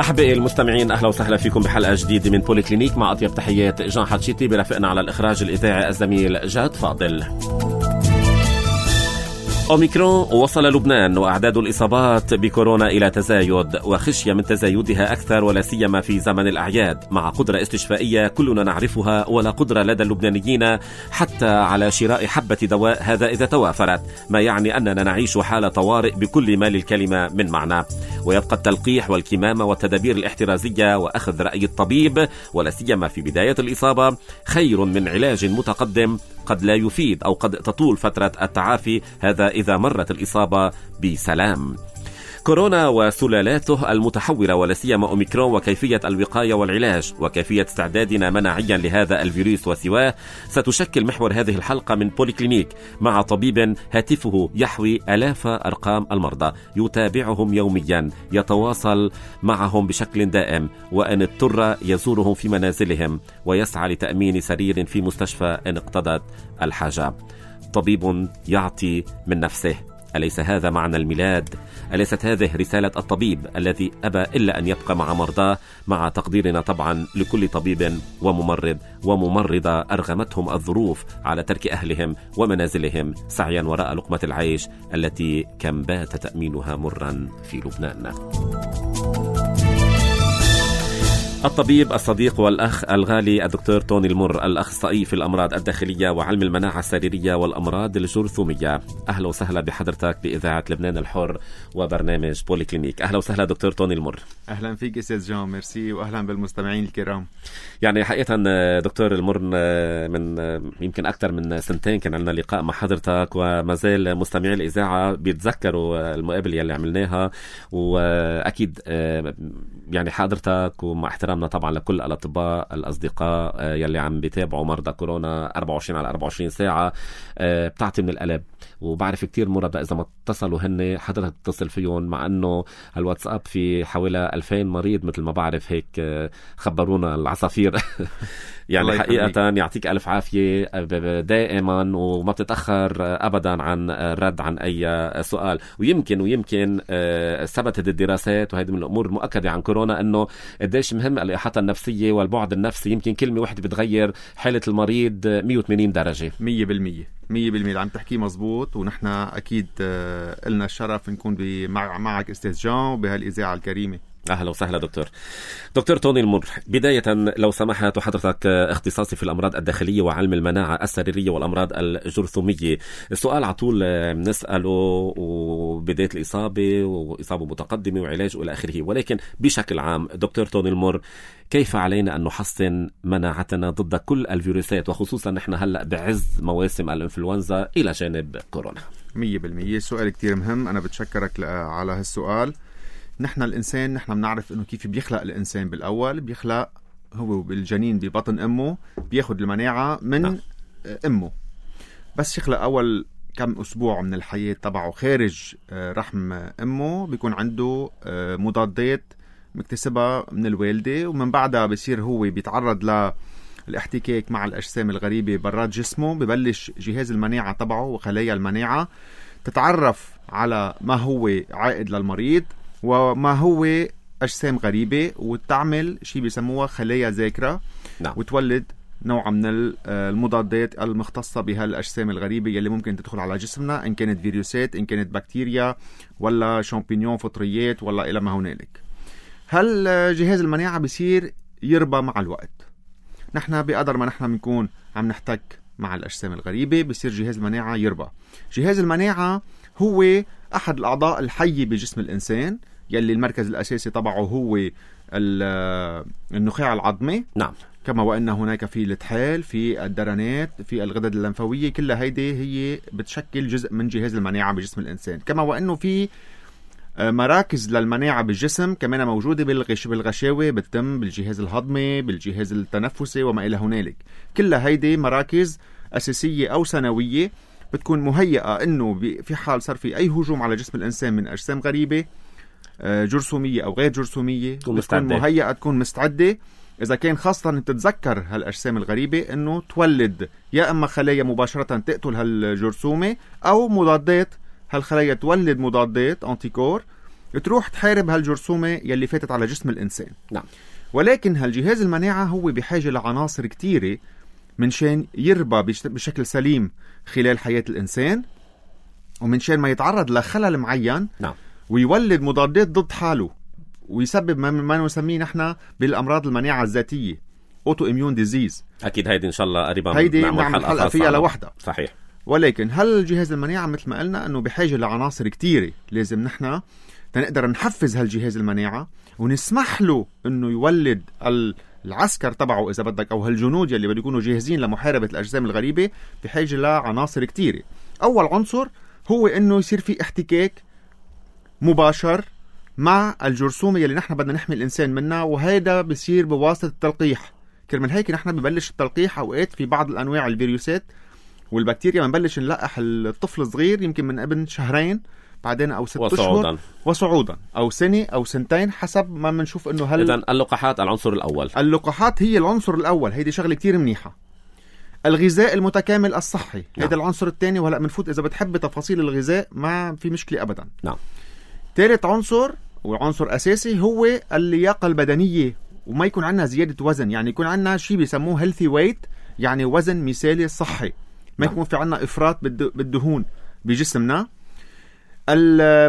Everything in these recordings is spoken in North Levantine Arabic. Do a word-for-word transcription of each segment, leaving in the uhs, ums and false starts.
أحبائي المستمعين، أهلا وسهلا فيكم بحلقة جديدة من بوليكلينيك مع أطيب تحيات جان حتشيتي، برافقنا على الإخراج الإذاعي الزميل جاد فاضل. أوميكرون وصل لبنان وأعداد الإصابات بكورونا إلى تزايد، وخشية من تزايدها أكثر ولا سيما في زمن الأعياد، مع قدرة استشفائية كلنا نعرفها ولا قدرة لدى اللبنانيين حتى على شراء حبة دواء، هذا إذا توافرت، ما يعني أننا نعيش حالة طوارئ بكل ما للكلمة من معنى. ويبقى التلقيح والكمامة والتدابير الاحترازية وأخذ رأي الطبيب ولا سيما في بداية الإصابة خير من علاج متقدم قد لا يفيد أو قد تطول فترة التعافي، هذا إذا مرت الإصابة بسلام. كورونا وسلالاته المتحورة ولا سيما أوميكرون وكيفية الوقاية والعلاج وكيفية استعدادنا مناعيا لهذا الفيروس وسواه ستشكل محور هذه الحلقة من بوليكلينيك مع طبيب هاتفه يحوي آلاف أرقام المرضى، يتابعهم يوميا، يتواصل معهم بشكل دائم، وإن اضطر يزورهم في منازلهم ويسعى لتأمين سرير في مستشفى إن اقتضت الحاجة. طبيب يعطي من نفسه، أليس هذا معنى الميلاد؟ أليست هذه رسالة الطبيب الذي أبى إلا أن يبقى مع مرضاه، مع تقديرنا طبعا لكل طبيب وممرض وممرضة أرغمتهم الظروف على ترك أهلهم ومنازلهم سعيا وراء لقمة العيش التي كم بات تأمينها مرا في لبنان. الطبيب الصديق والأخ الغالي الدكتور توني المر، الأخصائي في الأمراض الداخلية وعلم المناعة السريرية والأمراض الجرثومية، أهلا وسهلا بحضرتك بإذاعة لبنان الحر وبرنامج بوليكلينيك. أهلا وسهلا دكتور توني المر. أهلا فيك أستاذ جان، ميرسي، وأهلا بالمستمعين الكرام. يعني حقيقة دكتور المر من يمكن أكثر من سنتين كان عندنا لقاء مع حضرتك، وما زال مستمعي الإذاعة بيتذكروا المقابلة اللي عملناها، وأكيد يعني حضرتك ومع احترامنا طبعا لكل الأطباء الأصدقاء يلي عم بيتابعوا مرضى كورونا أربعة وعشرين على أربعة وعشرين ساعة، بتعطي من القلب. وبعرف كتير مرضى إذا ما اتصلوا هن حضرتك تتصل فيهم، مع أنه الواتساب في حوالي ألفين مريض مثل ما بعرف هيك خبرونا العصافير. يعني حقيقة يعطيك ألف عافية دائما، وما بتتأخر أبدا عن الرد عن أي سؤال. ويمكن ويمكن ثبتت الدراسات، وهذه من الأمور المؤكدة عن كورونا، أنه قديش مهم الإحاطة النفسية والبعد النفسي. يمكن كلمة واحدة بتغير حالة المريض مية وثمانين درجة. مية بالمية مية بالمية اللي عم تحكيه مزبوط، ونحن أكيد لنا الشرف نكون مع معك أستاذ جان وبهالإذاعة الكريمة. أهلا وسهلا دكتور. دكتور توني المر، بداية لو سمحت، وحضرتك اختصاصي في الأمراض الداخلية وعلم المناعة السريرية والأمراض الجرثومية، السؤال على طول بنسأله وبداية الإصابة وإصابة متقدمة وعلاج إلى آخره، ولكن بشكل عام دكتور توني المر، كيف علينا أن نحصن مناعتنا ضد كل الفيروسات، وخصوصا نحن هلأ بعز مواسم الإنفلونزا إلى جانب كورونا؟ مية بالمية سؤال كتير مهم، أنا بتشكرك على هالسؤال. نحن الإنسان نحن بنعرف إنه كيف بيخلق الإنسان. بالأول بيخلق هو بالجنين ببطن أمه، بياخد المناعة من نعم. أمه، بس يخلق أول كم أسبوع من الحياة تبعه خارج رحم أمه بيكون عنده مضادات مكتسبة من الوالدة، ومن بعدها بيصير هو بيتعرض للاحتكاك مع الأجسام الغريبة برات جسمه، ببلش جهاز المناعة تبعه وخلايا المناعة تتعرف على ما هو عائد للمريض وما هو أجسام غريبة، وتعمل شيء بيسموها خلايا ذاكرة نعم. وتولد نوع من المضادات المختصة بهالأجسام الغريبة يلي ممكن تدخل على جسمنا، إن كانت فيروسات، إن كانت بكتيريا، ولا شامبينيون فطريات، ولا إلى ما هنالك. هل جهاز المناعة بيصير يربى مع الوقت. نحن بقدر ما نحن بنكون عم نحتك مع الأجسام الغريبة بيصير جهاز المناعة يربى. جهاز المناعة هو أحد الأعضاء الحية بجسم الإنسان، يلي المركز الأساسي تبعه هو النخاع العظمي نعم. كما وأن هناك في الطحال، في الدرنات، في الغدد اللمفاوية، كلها هيدي هي بتشكل جزء من جهاز المناعة بجسم الإنسان. كما وأنه في مراكز للمناعة بالجسم كمان موجودة بالغش بالغشاوة، بالتم، بالجهاز الهضمي، بالجهاز التنفسي وما إلى هنالك. كلها هيدي مراكز أساسية أو ثانوية بتكون مهيئة إنه في حال صار في أي هجوم على جسم الإنسان من أجسام غريبة جرثومية أو غير جرثومية، تكون مهيئة، تكون مستعدة. إذا كان خاصة تتذكر هالأجسام الغريبة إنه تولد يا إما خلايا مباشرة تقتل هالجرثومة، أو مضادات، هالخلايا تولد مضادات أنتيكور تروح تحارب هالجرثومة يلي فاتت على جسم الإنسان. نعم. ولكن هالجهاز المناعة هو بحاجة لعناصر كتيرة من شان يربى بشكل سليم خلال حياة الإنسان، ومن شان ما يتعرض لخلل معين. نعم. ويولد مضادات ضد حاله ويسبب ما نسميه نحن بالأمراض المناعة الذاتية أوتو إميون ديزيز. أكيد هيدي إن شاء الله قريبا هيدي نعمل حلقة فيها لوحدها. صحيح. ولكن هل جهاز المناعة مثل ما قلنا أنه بحاجة لعناصر كتيرة، لازم نحن تنقدر نحفز هالجهاز المناعة ونسمح له أنه يولد العسكر تبعه إذا بدك، أو هالجنود يلي بده يكونوا جاهزين لمحاربة الأجسام الغريبة، بحاجة لعناصر كتيرة. أول عنصر هو أنه يصير في احتكاك مباشر مع الجرثومة يلي نحن بدنا نحمي الإنسان منها، وهذا بيصير بواسطة التلقيح. كرمال هيك نحن ببلش التلقيح أوقات في بعض الأنواع الفيروسات والبكتيريا بنبلش نلقح الطفل الصغير يمكن من ابن شهرين، بعدين او ست وصعودا. اشهر وصعودا، او سنه او سنتين حسب ما بنشوف انه هل. اذا اللقاحات العنصر الاول. اللقاحات هي العنصر الاول، هيدي شغله كتير منيحه. الغذاء المتكامل الصحي، نعم. هذا العنصر الثاني، وهلا بنفوت اذا بتحب تفاصيل الغذاء ما في مشكله ابدا. نعم. ثالث عنصر وعنصر اساسي هو اللياقه البدنيه، وما يكون عندنا زياده وزن، يعني يكون عندنا شيء بيسموه هيلثي ويت، يعني وزن مثالي صحي، ما يكون في عنا إفراط بالدهون بجسمنا.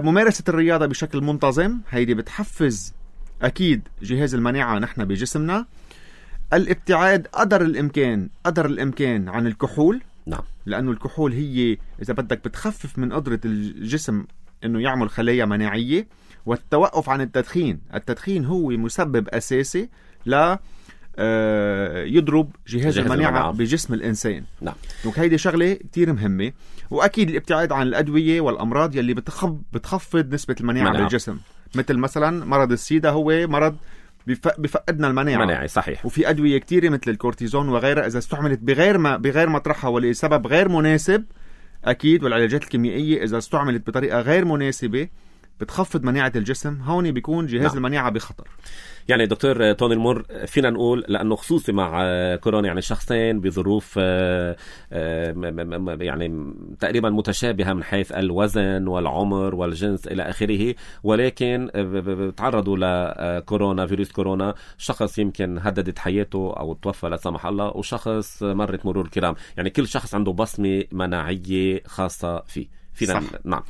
ممارسة الرياضة بشكل منتظم، هيدي بتحفز أكيد جهاز المناعة نحن بجسمنا. الابتعاد قدر الإمكان قدر الإمكان عن الكحول. نعم. لأنه الكحول هي إذا بدك بتخفف من قدرة الجسم إنه يعمل خلايا مناعية. والتوقف عن التدخين، التدخين هو مسبب أساسي ل يضرب جهاز, جهاز المناعة, المناعة بجسم الإنسان. نعم. وهيدي شغلة كتير مهمة. وأكيد الابتعاد عن الأدوية والأمراض يلي بتخب بتخفض نسبة المناعة مناعة. بالجسم، مثل مثلا مرض السيدا هو مرض بفقدنا المناعة مناعي. صحيح. وفي أدوية كتيرة مثل الكورتيزون وغيرها إذا استعملت بغير ما بغير مطرحها ولسبب غير مناسب، أكيد. والعلاجات الكيميائية إذا استعملت بطريقة غير مناسبة بتخفض مناعة الجسم، هون بيكون جهاز نعم. المناعة بخطر. يعني دكتور توني المور، فينا نقول لأنه خصوصي مع كورونا يعني شخصين بظروف يعني تقريبا متشابهة من حيث الوزن والعمر والجنس إلى آخره، ولكن تعرضوا لكورونا فيروس كورونا، شخص يمكن هددت حياته أو توفى لا سمح الله، وشخص مرت مرور الكرام. يعني كل شخص عنده بصمة مناعية خاصة فيه. فينا نعم.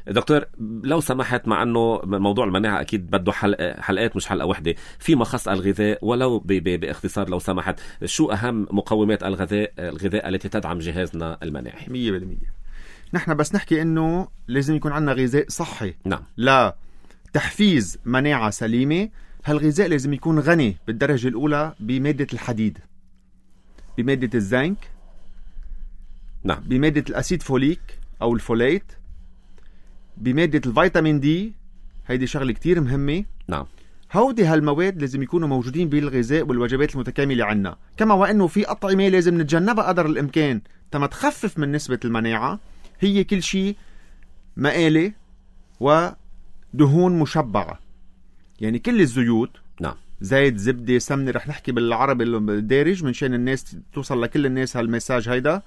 دكتور لو سمحت، مع أنه موضوع المناعة أكيد بده حلقة حلقات مش حلقة واحدة، في مخص الغذاء ولو باختصار لو سمحت، شو أهم مقومات الغذاء الغذاء التي تدعم جهازنا المناعي؟ مية بالمية. نحن بس نحكي إنه لازم يكون عندنا غذاء صحي. نعم. لا تحفيز مناعة سليمة. هالغذاء لازم يكون غني بالدرجة الأولى بمادة الحديد، بمادة الزنك، نعم، بمادة الأسيد فوليك أو الفوليت، بمادة الفيتامين دي، هيدي شغلة كتير مهمة. نعم. هودي هالمواد لازم يكونوا موجودين بالغذاء والوجبات المتكاملة عنا. كما وأنه في أطعمة لازم نتجنبها قدر الإمكان تما تخفف من نسبة المناعة، هي كل شيء مقالي ودهون مشبعة، يعني كل الزيوت. نعم. زيت، زبدة، سمنة، رح نحكي بالعربي الدارج منشان الناس توصل لكل الناس هالمساج هيدا.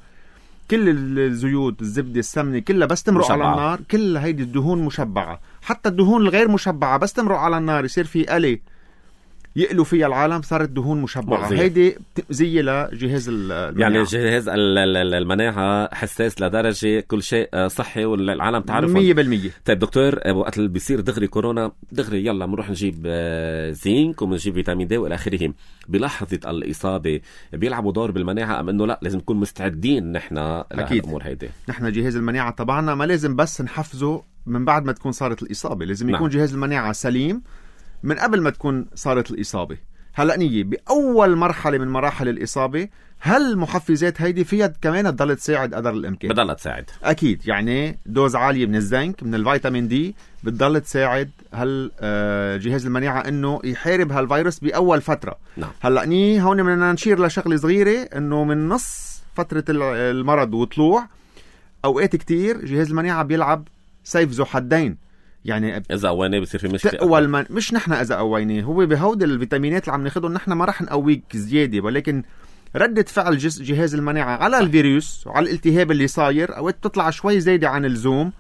كل الزيوت، الزبدة، السمنة، كلها بس تمرق على النار، كل هيدي الدهون مشبعة. حتى الدهون الغير مشبعة بس تمرق على النار يصير في قلي يقلوا فيها العالم، صارت دهون مشبعة. مغزية. هيدي زي لجهاز المناعة. يعني جهاز المناعة حساس لدرجة كل شيء صحي والعالم تعرفه مية بالمية. طيب دكتور، وقت اللي بيصير دغري كورونا دغري يلا بنروح نجيب زينك وبنجيب فيتامين دي والى اخره، بلحظة الإصابة بيلعبوا دور بالمناعة أم إنه لا لازم نكون مستعدين نحن لهالأمور هيدي؟ نحن جهاز المناعة طبعنا ما لازم بس نحفزه من بعد ما تكون صارت الإصابة، لازم يكون نعم. جهاز المناعة سليم من قبل ما تكون صارت الإصابة. هلأ نيجي بأول مرحلة من مراحل الإصابة، هل المحفزات هيدي فيها كمان تضل تساعد قدر الإمكان؟ بتضل تساعد أكيد، يعني دوز عالية من الزنك، من الفيتامين دي، بتضل تساعد هل جهاز المناعة إنه يحارب هالفيروس بأول فترة. نعم. هلأ نيجي هون بدنا نشير لشغلة صغيرة، إنه من نص فترة المرض وطلوع أوقات كتير جهاز المناعة بيلعب سيف ذو حدين. يعني إذا قويناه بصير في مشكلة. أول ما مش نحن إذا قويناه، هو بهود الفيتامينات اللي عم ناخدهم نحن ما رح نقويك زيادة، ولكن ردة فعل جهاز المناعة على الفيروس وعلى الالتهاب اللي صاير أوقات بتطلع شوي زايدة عن اللزوم،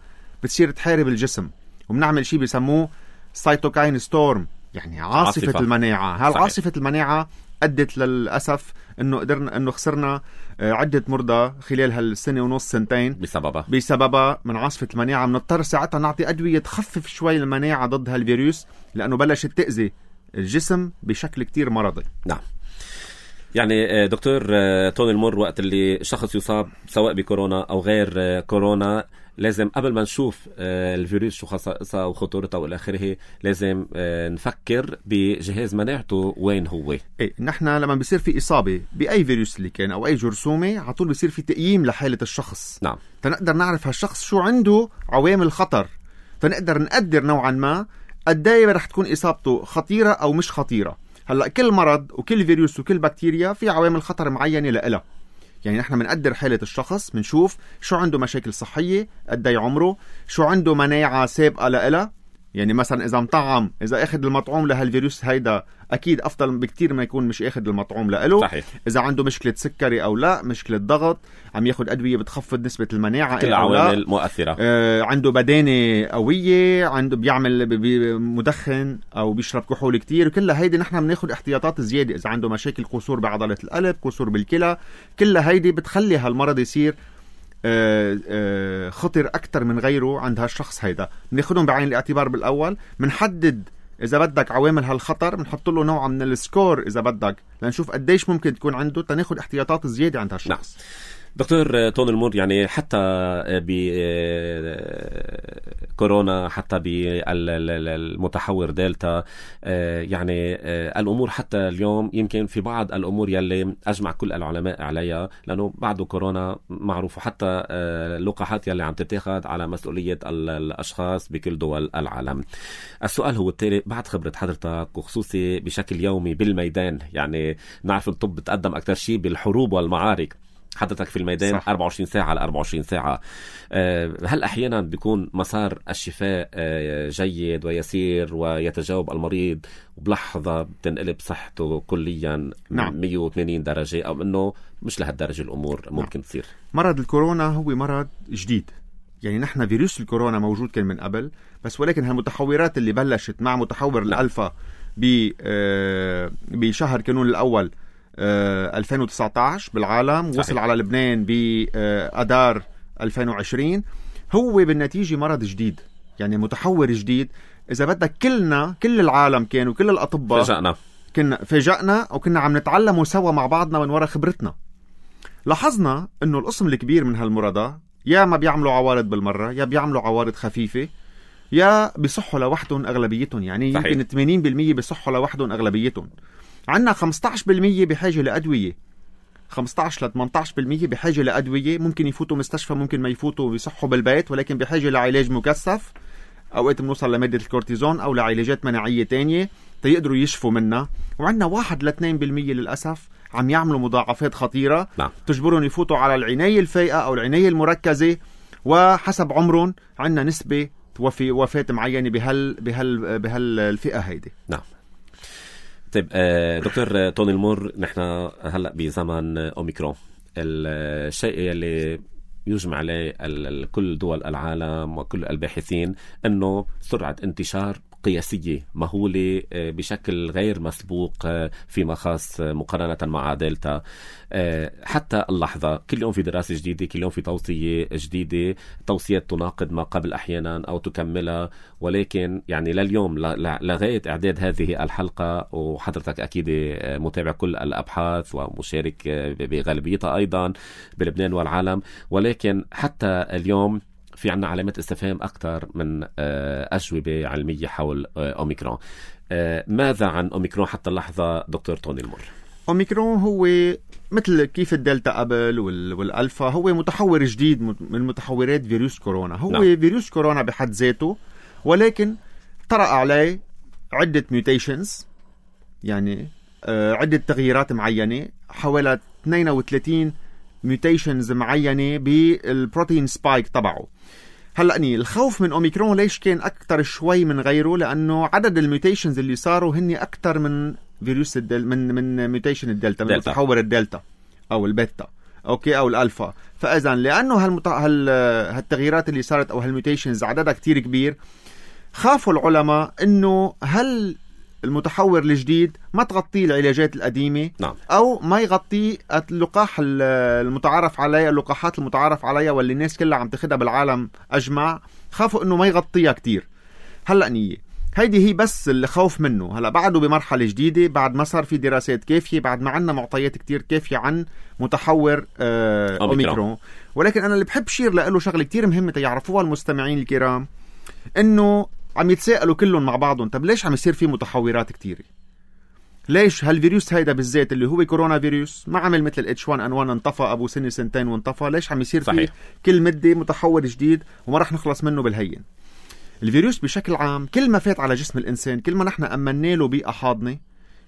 بتصير تحارب الجسم. وبنعمل شيء بيسموه سايتوكاين ستورم، يعني عاصفة, عاصفة. المناعة. هالعاصفة المناعة أدت للأسف إنه قدرنا إنه خسرنا عدة مرضى خلال هالسنة ونص سنتين بسببها بسببها من عاصفة المناعة. بنضطر ساعتها نعطي أدوية تخفف شوي المناعة ضد هالفيروس لأنه بلشت تأذي الجسم بشكل كتير مرضي. نعم. يعني دكتور توني المر، وقت اللي شخص يصاب سواء بكورونا أو غير كورونا لازم قبل ما نشوف الفيروس شو خصائصها وخطورتها والى اخره لازم نفكر بجهاز مناعته وين هو. ايه نحن لما بيصير في اصابه باي فيروس اللي كان او اي جرثومه على طول بيصير في تقييم لحاله الشخص. نعم. تنقدر نعرف هالشخص شو عنده عوامل خطر، تنقدر نقدر نوعا ما قد ايه رح تكون اصابته خطيره او مش خطيره. هلا كل مرض وكل فيروس وكل بكتيريا في عوامل خطر معينه لها، يعني نحن بنقدر حالة الشخص، بنشوف شو عنده مشاكل صحية، قد ايه عمره، شو عنده مناعة سابقة لها. يعني مثلا إذا مطعم، إذا أخذ المطعوم لهالفيروس هيدا أكيد أفضل بكتير ما يكون مش أخذ المطعوم له. صحيح. إذا عنده مشكلة سكري أو لا، مشكلة ضغط، عم ياخد أدوية بتخفض نسبة المناعة، كل عوامل مؤثرة. آه عنده بدانة قوية، عنده بيعمل مدخن أو بيشرب كحول كتير، كلها هيدي نحن بناخد احتياطات زيادة. إذا عنده مشاكل قصور بعضلة القلب، قصور بالكلى، كلها هيدي بتخلي هالمرض يصير آه آه خطر أكتر من غيره عند هالشخص. هيدا بناخدهم بعين الاعتبار بالأول، بنحدد إذا بدك عوامل هالخطر، بنحط له نوع من السكور إذا بدك لنشوف قديش ممكن تكون عنده، تناخد احتياطات زيادة عند هالشخص. نعم. دكتور توني المر، يعني حتى بكورونا، حتى بالمتحور دلتا، يعني الأمور حتى اليوم يمكن في بعض الأمور يلي أجمع كل العلماء عليها، لأنه بعد كورونا معروف، حتى اللقاحات يلي عم تتاخد على مسؤولية الأشخاص بكل دول العالم. السؤال هو التالي، بعد خبرة حضرتك وخصوصي بشكل يومي بالميدان، يعني نعرف الطب بتقدم أكتر شيء بالحروب والمعارك، حضرتك في الميدان صح. أربعة وعشرين ساعة على أربعة وعشرين ساعة، هل أحيانا بيكون مسار الشفاء جيد ويسير ويتجاوب المريض وبلحظة بتنقلب صحته كليا نعم. مية وثمانين درجة، أو أنه مش لهالدرجة الأمور ممكن تصير؟ مرض الكورونا هو مرض جديد، يعني نحن فيروس الكورونا موجود كان من قبل، بس ولكن هالمتحورات اللي بلشت مع متحور نعم. الألفا بشهر كانون الأول ألفين وتسعة عشر بالعالم، وصل صحيح. على لبنان بأدار ألفين وعشرين، هو بالنتيجة مرض جديد، يعني متحور جديد. إذا بدك كلنا كل العالم كانوا كل الأطباء فجأنا كنا فجأنا وكنا عم نتعلموا سوا مع بعضنا من وراء خبرتنا. لاحظنا إنه القسم الكبير من هالمرضى يا ما بيعملوا عوارض بالمرة، يا بيعملوا عوارض خفيفة، يا بيصحوا لوحدهم أغلبيتهم، يعني صحيح. يمكن ثمانين بالمية بيصحوا لوحدهم أغلبيتهم. عنا خمسة عشر بالمية بحاجة لأدوية، خمسة عشر ل ثمانية عشر بالمية بحاجة لأدوية، ممكن يفوتوا مستشفى، ممكن ما يفوتوا ويصحوا بالبيت، ولكن بحاجة لعلاج مكثف، أوقات بنوصل لمادة الكورتيزون أو لعلاجات مناعية تانية تيقدروا يشفوا منها. وعنا واحد ل اثنين بالمية للأسف عم يعملوا مضاعفات خطيرة نعم. تجبرهم يفوتوا على العناية الفائقة أو العناية المركزة، وحسب عمرهم عنا نسبة وفي وفاة معينة بهال بهال بهالفئة هيدي. نعم. طيب دكتور توني المر، نحن هلأ بزمن أوميكرون، الشيء اللي يجمع عليه كل دول العالم وكل الباحثين أنه سرعة انتشار قياسية مهولة بشكل غير مسبوق فيما خاص مقارنة مع دلتا. حتى اللحظة كل يوم في دراسة جديدة، كل يوم في توصية جديدة، توصيات تناقض ما قبل أحيانا أو تكملها، ولكن يعني لليوم لغاية إعداد هذه الحلقة، وحضرتك أكيد متابع كل الأبحاث ومشارك بغالبيتها أيضا بلبنان والعالم، ولكن حتى اليوم في عنا علامات استفهام أكثر من أجوبة علمية حول أوميكرون. ماذا عن أوميكرون حتى اللحظة دكتور توني المر؟ أوميكرون هو مثل كيف الدلتا قبل والألفا، هو متحور جديد من متحورات فيروس كورونا. هو نعم. فيروس كورونا بحد ذاته، ولكن طرأ عليه عدة ميوتيشنز، يعني عدة تغييرات معينة، حوالي اثنين وثلاثين ميوتيشنز معينة بالبروتين سبايك تبعه. هلأ الخوف من أوميكرون ليش كان أكتر شوي من غيره؟ لأنه عدد الميوتيشنز اللي صاروا هني أكتر من فيروس الدل من من ميوتيشن الدلتا، من متحور الدلتا أو البيتا أوكي أو الألفا. فإذا لأنه هالمت... هال... هالتغييرات اللي صارت أو هالميوتيشنز عددها كتير كبير، خافوا العلماء انه هل المتحور الجديد ما تغطيه العلاجات القديمة، نعم. أو ما يغطي اللقاح المتعارف عليها، اللقاحات المتعارف عليها واللي الناس كلها عم تاخدها بالعالم أجمع. خافوا إنه ما يغطيها كتير. هلأ نية هيدي هي بس اللي خوف منه. هلأ بعده بمرحلة جديدة، بعد ما صار في دراسات كافية، بعد ما عنا معطيات كتير كافية عن متحور آه أوميكرون. ولكن أنا اللي بحب شير لأله شغلة كتير مهمة يعرفوها المستمعين الكرام، إنه عم يتساءلوا كلهم مع بعضهم، طب ليش عم يصير في متحورات كتيرة؟ ليش هالفيروس هيدا بالذات اللي هو كورونا فيروس ما عمل مثل ال إتش وان إن وان انطفى أبو سنة سنتين وانطفى؟ ليش عم يصير فيه كل مدة متحور جديد وما رح نخلص منه بالهين؟ الفيروس بشكل عام كل ما فات على جسم الإنسان، كل ما نحن أمننا له بيئة حاضنة،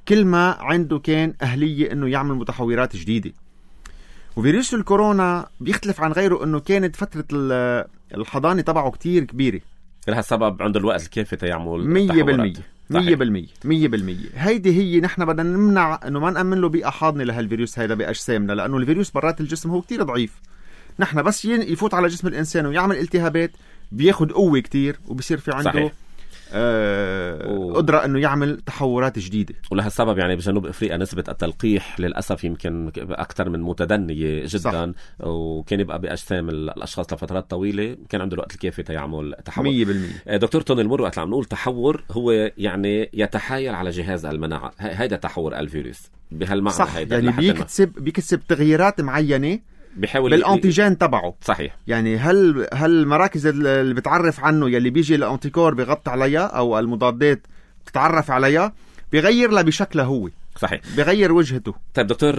كل ما عنده كان أهلية إنه يعمل متحورات جديدة. وفيروس الكورونا بيختلف عن غيره إنه كانت فترة الحضانة تبعه كتير كبيرة، لهالسبب عنده الوقت الكافي تيعمل مية بالمية مية بالمية مية بالمية. هيدي هي نحن بدنا نمنع انه ما نأمن له بيئة حاضنة لهالفيروس هيدا بأجسامنا، لأنه الفيروس برات الجسم هو كتير ضعيف. نحن بس يفوت على جسم الإنسان ويعمل التهابات بياخد قوة كتير وبصير في عنده صحيح. آه و... قدرة انه يعمل تحورات جديدة. ولهالسبب يعني بجنوب افريقيا نسبة التلقيح للاسف يمكن اكثر من متدنية جدا، صح. وكان يبقى باجسام الاشخاص لفترات طويلة، كان عنده الوقت الكافي تيعمل تحور مية بالمية. دكتور توني المر، وقت عم نقول تحور هو يعني يتحايل على جهاز المناعة، هيدا تحور الفيروس بهالمعنى، صح. هيدا يعني بيكتسب بيكتسب تغييرات معينة بيحاول بالانتيجين تبعه. صحيح. يعني هل هل المراكز اللي بتعرف عنه يلي بيجي الانتيكور بيغطي عليها او المضادات بتتعرف عليها بيغير لها بشكله هو، صحيح، بغير وجهته. طيب دكتور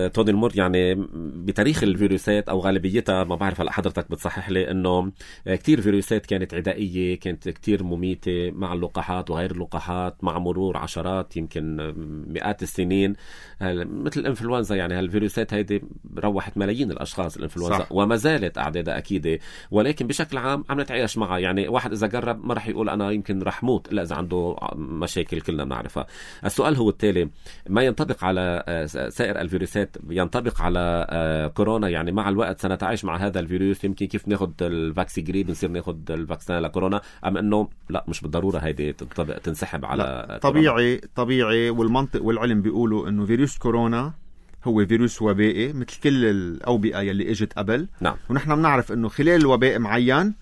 توني المر، يعني بتاريخ الفيروسات او غالبيتها، ما بعرف هلا حضرتك بتصحح لي، انه كتير فيروسات كانت عدائيه، كانت كتير مميته مع اللقاحات وغير اللقاحات، مع مرور عشرات يمكن مئات السنين، مثل الانفلونزا. يعني هالفيروسات هيدي روحت ملايين الاشخاص الانفلونزا، صح. وما زالت اعدادها اكيده، ولكن بشكل عام عم نتعايش معها. يعني واحد اذا جرب ما رح يقول انا يمكن رح موت، لا، اذا عنده مشاكل كلنا بنعرفها. السؤال هو التالي، ما ينطبق على سائر الفيروسات ينطبق على كورونا؟ يعني مع الوقت سنتعايش مع هذا الفيروس، يمكن كيف ناخد الفاكسيجريد نصير ناخد الفاكسين لكورونا، أم أنه لا، مش بالضرورة هيدي تنسحب على طبيعي كورونا. طبيعي والمنطق والعلم بيقولوا أنه فيروس كورونا هو فيروس وبائي مثل كل الأوبئة يلي اجت قبل. نعم. ونحن بنعرف أنه خلال الوباء معين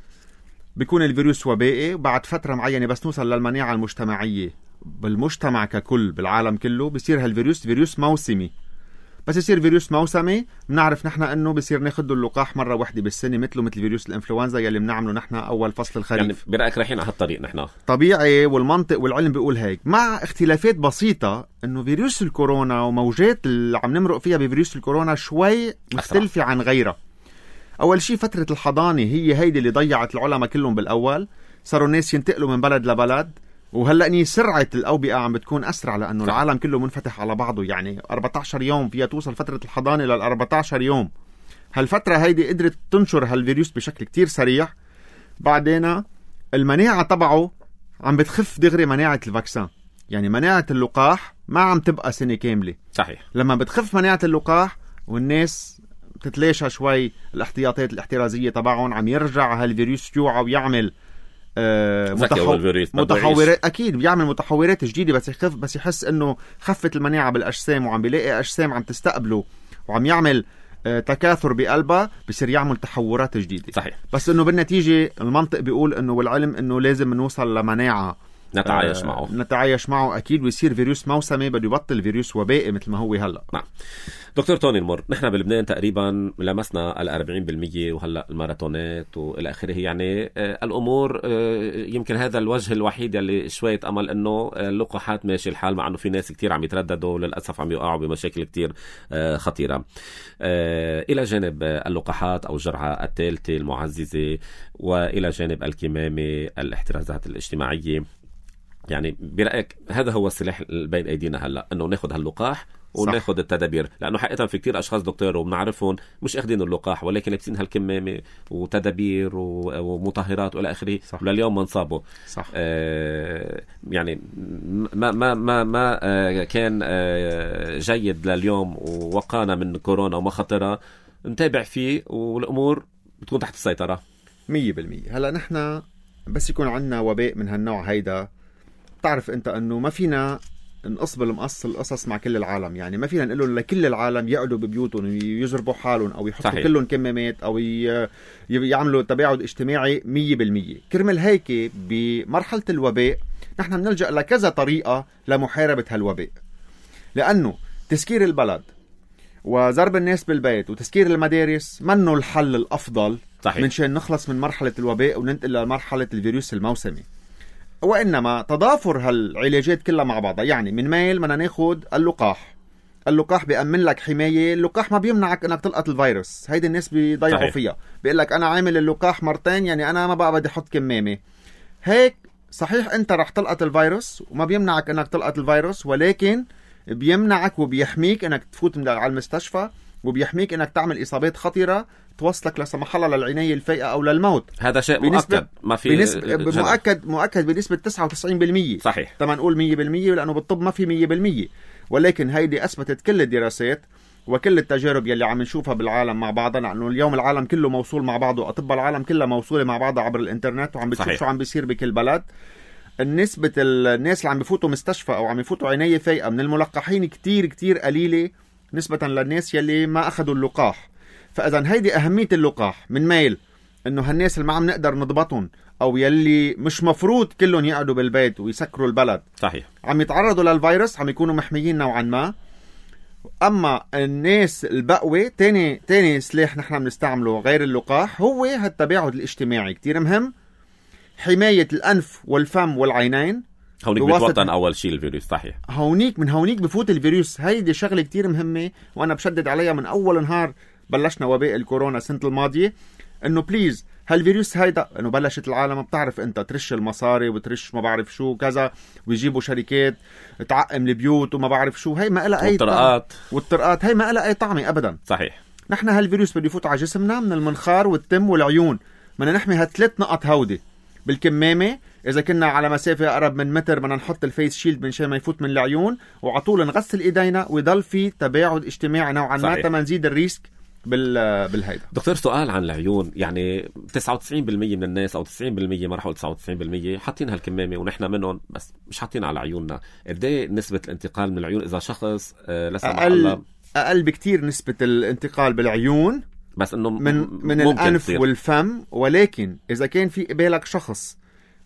بيكون الفيروس وبائي، وبعد فترة معينة بس نوصل للمناعة المجتمعية بالمجتمع ككل بالعالم كله بصير هالفيروس فيروس موسمي. بس يصير فيروس موسمي بنعرف نحن انه بصير ناخده اللقاح مره واحده بالسنه، مثله مثل فيروس الانفلونزا يلي بنعمله نحن اول فصل الخريف. يعني برايك رايحين على هالطريق نحن؟ طبيعي، والمنطق والعلم بيقول هيك، مع اختلافات بسيطه انه فيروس الكورونا وموجات اللي عم نمرق فيها بفيروس الكورونا شوي مختلفه عن غيرها. اول شيء فتره الحضانه هي هيدي اللي ضيعت العلماء كلهم بالاول، صاروا الناس ينتقلوا من بلد لبلد، وهلأني سرعة الأوبئة عم بتكون أسرع لأنه صح. العالم كله منفتح على بعضه. يعني أربعة عشر يوم فيها توصل فترة الحضانة لل أربعة عشر يوم. هالفترة هيدي قدرت تنشر هالفيروس بشكل كتير سريع. بعدين المناعة تبعه عم بتخف دغري مناعة الفاكسان، يعني مناعة اللقاح ما عم تبقى سنة كاملة. صحيح. لما بتخف مناعة اللقاح والناس بتتلاشى شوي الاحتياطات الاحترازية تبعهم، عم يرجع هالفيروس يوعى ويعمل آه متحو... متحورات. اكيد بيعمل متحورات جديده، بس يخف بس يحس انه خفت المناعه بالاجسام وعم بيلاقي اجسام عم تستقبله وعم يعمل آه تكاثر بقلبها، بصير يعمل تحورات جديده. صحيح. بس انه بالنتيجه المنطق بيقول انه والعلم انه لازم نوصل لمناعه نتعايش آه معه نتعايش معه اكيد، ويصير فيروس موسمي بده يبطل فيروس وبائي مثل ما هو هلا. نعم. دكتور توني المر، نحن بلبنان تقريبا لمسنا الأربعين بالمية، وهلا الماراثونات والى اخره. يعني آه الامور آه يمكن هذا الوجه الوحيد اللي شويه امل انه اللقاحات ماشي الحال، مع انه في ناس كتير عم يترددوا للاسف، عم يقعوا بمشاكل كتير آه خطيره. آه الى جانب اللقاحات او الجرعه الثالثه المعززه، والى جانب الكمامه، الاحترازات الاجتماعيه، يعني برأيك هذا هو السلاح بين أيدينا هلأ، أنه ناخد هاللقاح وناخد التدابير؟ لأنه حقيقة في كتير أشخاص دكتور وبنعرفهم مش أخدين اللقاح، ولكن لابسين هالكمامة وتدابير ومطهرات وإلى آخره، ولليوم ما انصابوا. صح. آه يعني ما ما ما ما آه كان آه جيد لليوم ووقانا من كورونا ومخاطرها، نتابع فيه والأمور بتكون تحت السيطرة. مية بالمية. هلأ نحن بس يكون عندنا وباء من هالنوع هيدا، تعرف انت انه ما فينا نقص بالمقص القصص مع كل العالم. يعني ما فينا نقول لكل العالم يقعدوا ببيوتهم ويجربوا حالهم او يحطوا صحيح. كلهم كمامات او يعملوا تباعد اجتماعي مية بالمية. كرمال هيك بمرحلة الوباء نحن بنلجأ لكذا طريقة لمحاربة هالوباء، لأنه تسكير البلد وضرب الناس بالبيت وتسكير المدارس منه الحل الأفضل صحيح. من شان نخلص من مرحلة الوباء وننتقل لمرحلة الفيروس الموسمي، وإنما تضافر هالعلاجات كلها مع بعضها. يعني من ميل بدنا ناخد اللقاح. اللقاح بيأمن لك حماية. اللقاح ما بيمنعك انك تلقط الفيروس، هيدي الناس بيضيعوا فيها، بيقول لك انا عامل اللقاح مرتين يعني انا ما بقى بدي احط كمامة. هيك صحيح انت رح تلقط الفيروس وما بيمنعك انك تلقط الفيروس، ولكن بيمنعك وبيحميك انك تفوت على المستشفى، وبيحميك انك تعمل اصابات خطيرة توصلك لا سمح الله للعناية الفائقة او للموت. هذا شيء مؤكد، ما في بنسبة مؤكد مؤكد بنسبة تسعة وتسعين بالمية صحيح. طبعا نقول مية بالمية لانه بالطب ما في مية بالمية، ولكن هيدي اثبتت كل الدراسات وكل التجارب يلي عم نشوفها بالعالم مع بعضنا، لانه اليوم العالم كله موصول مع بعضه، اطباء العالم كلها موصولة مع بعضها عبر الانترنت، وعم بتشوف شو عم بيصير بكل بلد. النسبة الناس اللي عم بفوتوا مستشفى او عم يفوتوا عناية فائقة من الملقحين كتير كتير قليلة نسبة للناس يلي ما اخذوا اللقاح. فاذا هيدي اهمية اللقاح. من ميل انه هالناس اللي ما عم نقدر نضبطهم او يلي مش مفروض كلهم يقعدوا بالبيت ويسكروا البلد صحيح عم يتعرضوا للفيروس، عم يكونوا محميين نوعا ما. اما الناس البقوة تاني تاني سلاح نحن بنستعمله غير اللقاح هو هالتباعد الاجتماعي، كتير مهم. حماية الانف والفم والعينين، هونيك بيتوطن اول شيء الفيروس صحيح. هونيك من هونيك بفوت الفيروس. هيدي شغله كتير مهمه وانا بشدد عليها من اول نهار بلشنا وباء الكورونا السنه الماضيه، انه بليز هالفيروس هيدا انه بلشت العالم بتعرف انت ترش المصاري وترش ما بعرف شو كذا، ويجيبوا شركات تعقم البيوت وما بعرف شو، هي ما لها اي والطرقات والطرقات هي ما لها اي طعمه ابدا صحيح. نحن هالفيروس بده يفوت على جسمنا من المنخار والتم والعيون، بدنا نحمي هالثلاث نقط هودي بالكمامه. اذا كنا على مسافه اقرب من متر بدنا نحط الفيس شيلد من شان ما يفوت من العيون، وعطول نغسل ايدينا ويضل في تباعد اجتماعي نوعا ما تما نزيد الريسك بال بالهيدا. دكتور سؤال عن العيون، يعني تسعة وتسعين بالمية من الناس او تسعين بالمية ما راح اقول تسعة وتسعين بالمية حاطين هالكمامه ونحن منهم، بس مش حاطين على عيوننا. قد ايه نسبه الانتقال من العيون اذا شخص آه لا سمح الله؟ اقل بكتير نسبه الانتقال بالعيون، بس انه من من الانف تصير. والفم. ولكن اذا كان في قبالك شخص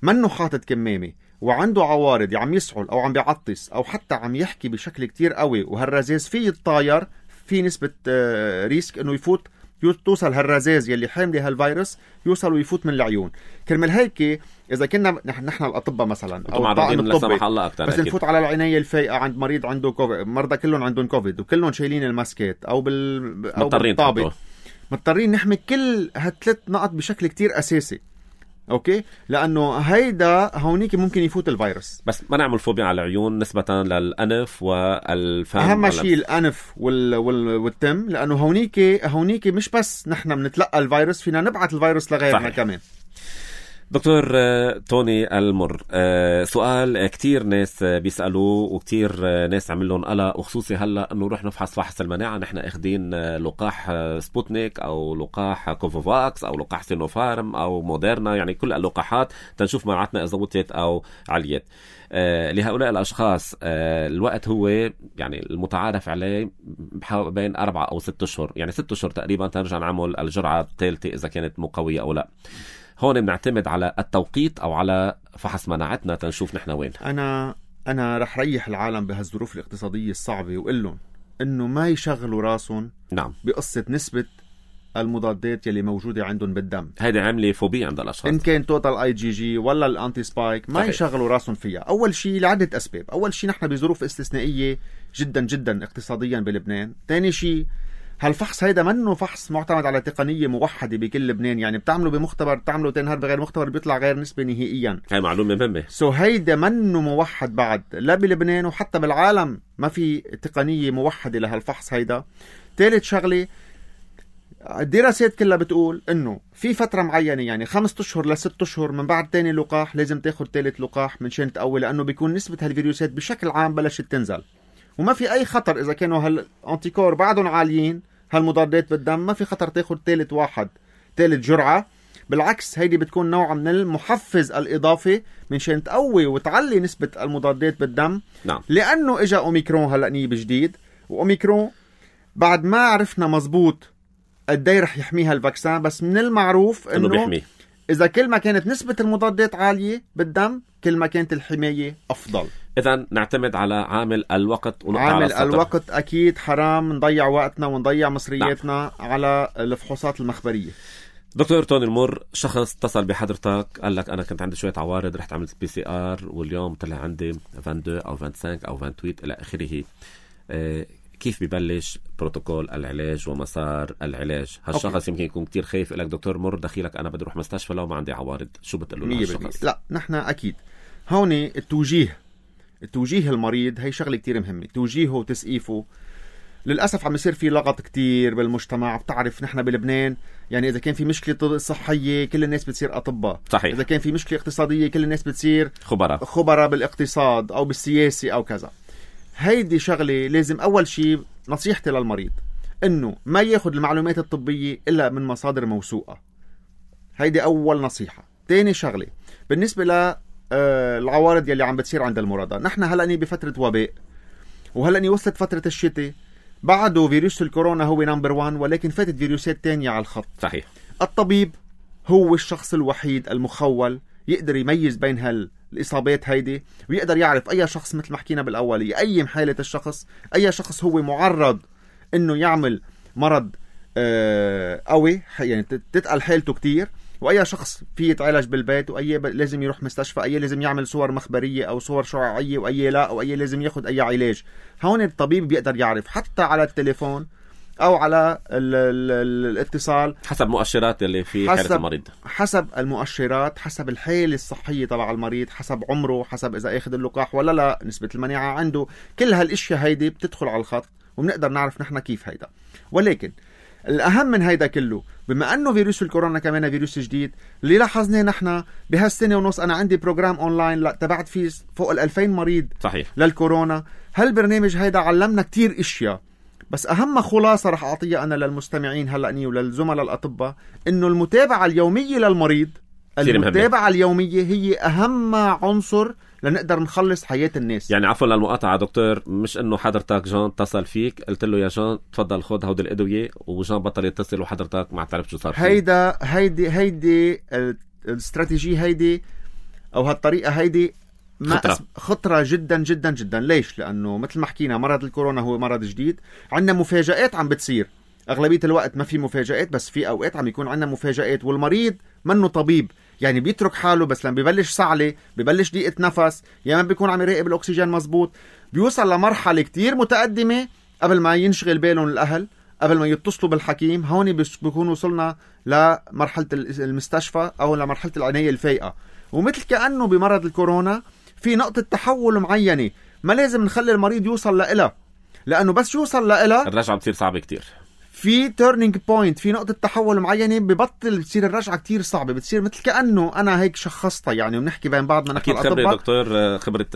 منه حاطط كمامه وعنده عوارض عم يسعل او عم بيعطس او حتى عم يحكي بشكل كتير قوي وهالرزاز فيه يتطاير، في نسبة ريسك انه يفوت توصل هالرزاز يلي حامله هالفيروس يوصل ويفوت من العيون. كرمال هيك اذا كنا نحن نحن الاطباء مثلا او الطاقم الطبي بس نفوت على العناية الفائقة عند مريض عنده كوفيد، مرضى كلهم عندهم كوفيد وكلهم شايلين الماسكات او بال او بالطابق، مضطرين نحمي كل هالثلاث نقط بشكل كتير اساسي. اوكي، لانه هيدا هونيك ممكن يفوت الفيروس. بس ما نعمل فوبيا على العيون نسبة للانف والفم. اهم شيء الانف وال... وال... والتم، لانه هونيك هونيك مش بس نحن بنتلقى الفيروس، فينا نبعث الفيروس لغيرنا كمان. دكتور توني المر، سؤال كتير ناس بيسألوه وكتير ناس عملون قلق، وخصوصي هلأ أنه نروح نفحص فحص المناعة. نحن اخدين لقاح سبوتنيك أو لقاح كوفوفاكس أو لقاح سينوفارم أو موديرنا، يعني كل اللقاحات تنشوف مناعتنا إذا وطيت أو عليت. لهؤلاء الأشخاص الوقت هو يعني المتعارف عليه بين أربعة أو ست أشهر، يعني ست أشهر تقريبا تنرجع نعمل الجرعة الثالثة إذا كانت مقوية أو لا. هون بنعتمد على التوقيت او على فحص مناعتنا تنشوف نحن وين. انا انا رح ريح العالم بهالظروف الاقتصاديه الصعبه وقول لهم انه ما يشغلوا راسهم نعم بقصه نسبه المضادات يلي موجوده عندهم بالدم. هيدي عامله فوبيا عند الاشخاص، ان كان توتال اي جي جي ولا الانتي سبايك، ما صحيح. يشغلوا راسهم فيها. اول شيء لعده اسباب. اول شيء نحن بظروف استثنائيه جدا جدا اقتصاديا بلبنان. ثاني شيء هالفحص هيدا منه فحص معتمد على تقنية موحدة بكل لبنان، يعني بتعمله بمختبر بتعمله تنهار بغير مختبر بيطلع غير نسبة نهائيا. هاي معلومة مهمة. سو هيدا منه موحد بعد لا بلبنان وحتى بالعالم، ما في تقنية موحدة لهالفحص هيدا. ثالث شغلة، الدراسات كلها بتقول انه في فترة معينة، يعني خمسة اشهر لست اشهر من بعد تاني لقاح لازم تاخد ثالث لقاح من شان تقوي، لانه بيكون نسبة هالفيروسات بشكل عام بلشت تنزل، وما في اي خطر اذا كانوا هالانتيكور بعدهم عاليين، هالمضادات بالدم ما في خطر تاخد ثالث واحد ثالث جرعة. بالعكس هيدي بتكون نوع من المحفز الإضافي من شان تقوي وتعلي نسبة المضادات بالدم. نعم. لأنه إجا أوميكرون هلأ نيب جديد، وأوميكرون بعد ما عرفنا مزبوط قدي رح يحميها الفاكسان، بس من المعروف إنه بيحمي. إذا كل ما كانت نسبة المضادات عالية بالدم كل ما كانت الحماية أفضل. إذن نعتمد على عامل الوقت ونقطع عامل على الوقت أكيد حرام نضيع وقتنا ونضيع مصرياتنا نعم. على الفحوصات المخبرية. دكتور توني المر، شخص اتصل بحضرتك قال لك أنا كنت عندي شوية عوارض، رحت عملت بي سي آر واليوم طلع عندي اثنين وعشرين أو خمسة وعشرين أو ثمانية وعشرين إلى آخره. آه كيف ببلش بروتوكول العلاج ومسار العلاج؟ هالشخص أوكي. يمكن يكون كتير خايف، لك دكتور مر دخيلك أنا بدي أروح مستشفى لو ما عندي عوارض، شو بتقول له هالشخص؟ لا نحن أكيد هون التوجيه التوجيه المريض هي شغلة كتير مهمة، توجيهه وتسقيفه. للأسف عم يصير في لغط كتير بالمجتمع. بتعرف نحن بلبنان يعني إذا كان في مشكلة صحية كل الناس بتصير أطباء، صحيح. إذا كان في مشكلة اقتصادية كل الناس بتصير خبراء خبراء بالاقتصاد أو بالسياسة أو كذا. هيدي شغلة لازم أول شيء نصيحتي للمريض إنه ما ياخد المعلومات الطبية إلا من مصادر موثوقة. هيدي أول نصيحة. تاني شغلة بالنسبة ل العوارض يلي عم بتصير عند المرضى، نحن هلأني بفترة وباء، وهلأني وصلت فترة الشتاء، بعده فيروس الكورونا هو نمبر وان، ولكن فاتت فيروسات تانية على الخط. صحيح. الطبيب هو الشخص الوحيد المخول يقدر يميز بين هالإصابات هيدي، ويقدر يعرف أي شخص مثل ما حكينا بالأول يقيم حالة الشخص، أي شخص هو معرض إنه يعمل مرض آه قوي يعني تتقل حالته كتير، وأي شخص فيه يتعالج بالبيت، وأي لازم يروح مستشفى، أي لازم يعمل صور مخبرية أو صور شعاعية، وأي لا، وأي لازم ياخد أي علاج. هون الطبيب بيقدر يعرف حتى على التليفون أو على ال ال الاتصال حسب مؤشرات اللي في حالة المريض، حسب المؤشرات، حسب الحالة الصحية تبع المريض، حسب عمره، حسب إذا أخذ اللقاح ولا لا، نسبة المناعة عنده. كل هالاشياء هيدي بتدخل على الخط وبنقدر نعرف نحن كيف هيدا. ولكن الأهم من هيدا كله، بما أنه فيروس الكورونا كمان فيروس جديد، اللي لاحظناه نحن بهالسنة ونص أنا عندي بروجرام أونلاين لا تبعت فيه فوق الألفين مريض صحيح للكورونا. هالبرنامج هيدا علمنا كتير إشياء، بس أهم خلاصة رح أعطيها أنا للمستمعين هلأني وللزملاء الأطباء، إنه المتابعة اليومية للمريض، المتابعة اليومية هي أهم عنصر لنقدر نخلص حياة الناس. يعني عفوا للمقاطعة دكتور، مش انه حضرتك جان اتصل فيك قلت له يا جان تفضل خد هودي الادوية وجان بطل يتصل وحضرتك ما تعرف شو صار فيه. هيدا هيدي هيدي الاستراتيجية هيدي او هالطريقة هيدي خطرة. خطرة جدا جدا جدا. ليش؟ لانه مثل ما حكينا مرض الكورونا هو مرض جديد، عندنا مفاجآت عم بتصير. اغلبية الوقت ما في مفاجآت، بس في اوقات عم يكون عندنا مفاجآت، والمريض منه طبيب يعني بيترك حاله، بس لما بيبلش صعلة، بيبلش ضيقة نفس، يا ما بيكون عم يراقب الأكسجين مزبوط، بيوصل لمرحلة كتير متقدمة قبل ما ينشغل بالهم الأهل، قبل ما يتصلوا بالحكيم. هون بيكون وصلنا لمرحلة المستشفى أو لمرحلة العناية الفائقة. ومثل كأنه بمرض الكورونا في نقطة تحول معينة ما لازم نخلي المريض يوصل لإلها، لأنه بس يوصل لإلها الرجعة بتصير صعبة كتير. في تيرنينج بوينت، في نقطة تحول معينة ببطل بتصير الرجعة كتير صعبة، بتصير مثل كأنه أنا هيك شخصتها يعني، وبنحكي بين بعضنا نحن الأطباء. أكيد خبرة دكتور، خبرة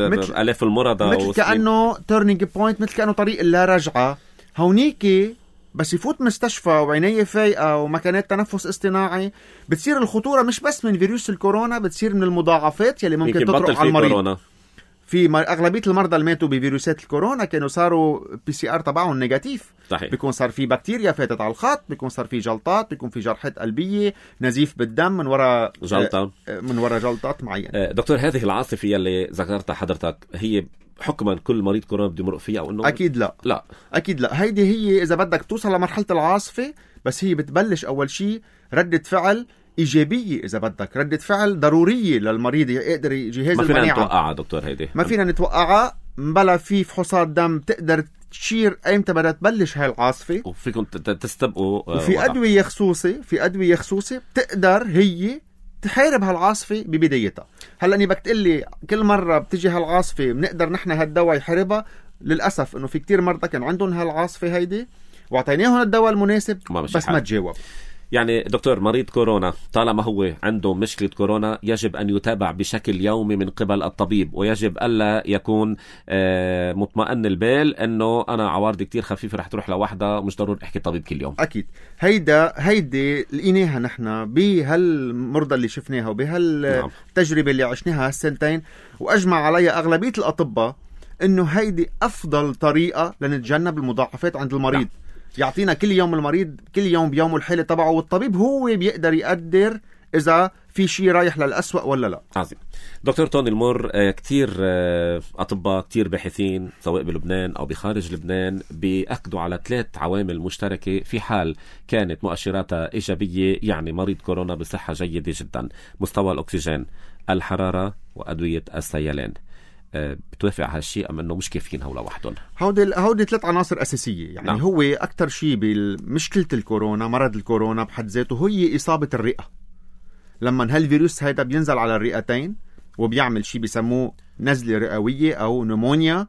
آلاف المرضى، مثل كأنه تيرنينج بوينت، مثل كأنه طريق اللا رجعة. هونيكي بس يفوت مستشفى وعناية فائقة ومكانات تنفس اصطناعي، بتصير الخطورة مش بس من فيروس الكورونا، بتصير من المضاعفات يلي ممكن تطرق على المريض. كورونا. في أغلبية المرضى اللي ماتوا بفيروسات الكورونا كانوا صاروا بي سي آر تبعهم نيجاتيف. صحيح. بيكون صار في بكتيريا فاتت على الخط، بيكون صار في جلطات، بيكون في جرحات قلبية، نزيف بالدم من وراء جلطة من وراء جلطات معينة. دكتور، هذه العاصفة اللي ذكرتها حضرتك هي حكما كل مريض كورونا بده يمرق فيها أو إنه؟ أكيد لا. لا أكيد لا. هيدي هي إذا بدك توصل لمرحلة العاصفة، بس هي بتبلش أول شيء ردة فعل إيجابية، إذا بدك ردة فعل ضرورية للمريض يقدر جهاز المناعة. ما فينا نتوقعها دكتور هيدي، ما فينا نتوقعها. مبلا في فحوصات دم تقدر تشير أيمتى بدها تبلش هاي العاصفة، وفيكم تستبقوا. وفي أدوية خصوصي في أدوية خصوصي بتقدر هي تحارب هالعاصفة ببدايتها. هلأ أني بدك تقلي كل مرة بتجي هالعاصفة بنقدر نحن هالدواء يحاربها، للأسف إنه في كتير مرضى كان عندهم هالعاصفة هيدي وعطيناهم الدواء المناسب بس ما تجاوب. يعني دكتور، مريض كورونا طالما هو عنده مشكلة كورونا يجب أن يتابع بشكل يومي من قبل الطبيب، ويجب ألا يكون آه مطمئن البال أنه أنا عوارضي كتير خفيفة رح تروح لوحدة، مش ضروري أحكي طبيب كل يوم. أكيد هيدا هيدي لقيناها نحن بهالمرضى اللي شفناها وبهالتجربة نعم. اللي عشناها هالسنتين، وأجمع عليها أغلبية الأطباء أنه هيدي أفضل طريقة لنتجنب المضاعفات عند المريض. نعم. يعطينا كل يوم المريض كل يوم بيوم الحالة تبعه، والطبيب هو بيقدر يقدر إذا في شيء رايح للأسوأ ولا لا. عظيم. دكتور توني المور، كتير أطباء كتير باحثين سواء بلبنان أو بخارج لبنان بيأكدوا على ثلاث عوامل مشتركة في حال كانت مؤشراتها إيجابية، يعني مريض كورونا بصحة جيدة جدا: مستوى الأكسجين، الحرارة، وأدوية السيلان. بتوافق على هالشيء أم أنه مش كافيين هؤلاء وحدهم؟ هودي هودي ثلاث عناصر أساسية. يعني نعم. هو أكتر شيء بمشكلة الكورونا، مرض الكورونا بحد ذاته، هي إصابة الرئة. لما هالفيروس هيدا بينزل على الرئتين وبيعمل شيء بيسموه نزلة رئوية أو نمونيا،